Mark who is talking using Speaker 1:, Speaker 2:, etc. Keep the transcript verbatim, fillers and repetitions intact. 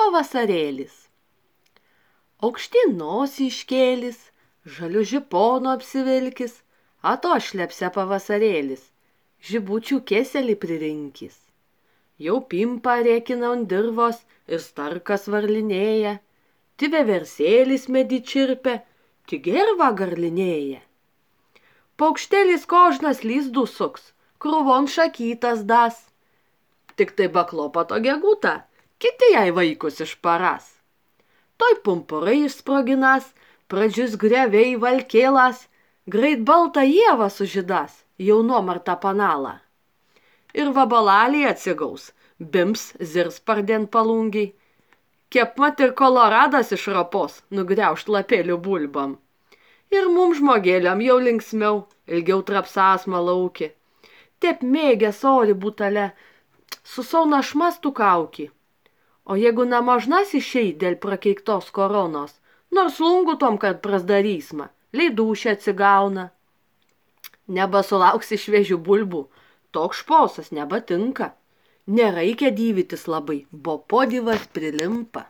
Speaker 1: pavasarėlis. Aukštyn nosį iškėlis, žaliu žiponu apsivilkis, atošlepse pavasarėlis, žibučių kėselį pririnkis. Jau pimpa rėkina ant dirvos ir starkas varlinėja, ti veversėlis medį čirpia, ti gerva garlinėja. Paukštėlis kožnas lizdų suks, krūvon šakytas das. Tik tai baklopato gegutą, kiti jai vaikus išparas. Toj pumpurai išsproginas, pradžius greviai valkėlas, greit baltą ievą sužydas, jaunuomartą panalą. Ir vabalaliai atsigaus, bims zirs pardien palungiai, kepmat ir koloradas išrapos, nugriaušt lapėlių bulbam. Ir mum žmogėliam jau linksmiau, ilgiau trapsasma lauki. Tep mėgęs ori butale, su sauna šmastų kauki. O jeigu namažnas išeit dėl prakeiktos koronos, nors lungu tom, kad prasdarysma, leidūšė atsigauna. Nebesulauksi šviežių bulbų, toks šposas nebatinka. Nereikia dyvytis labai, bo podivas prilimpa.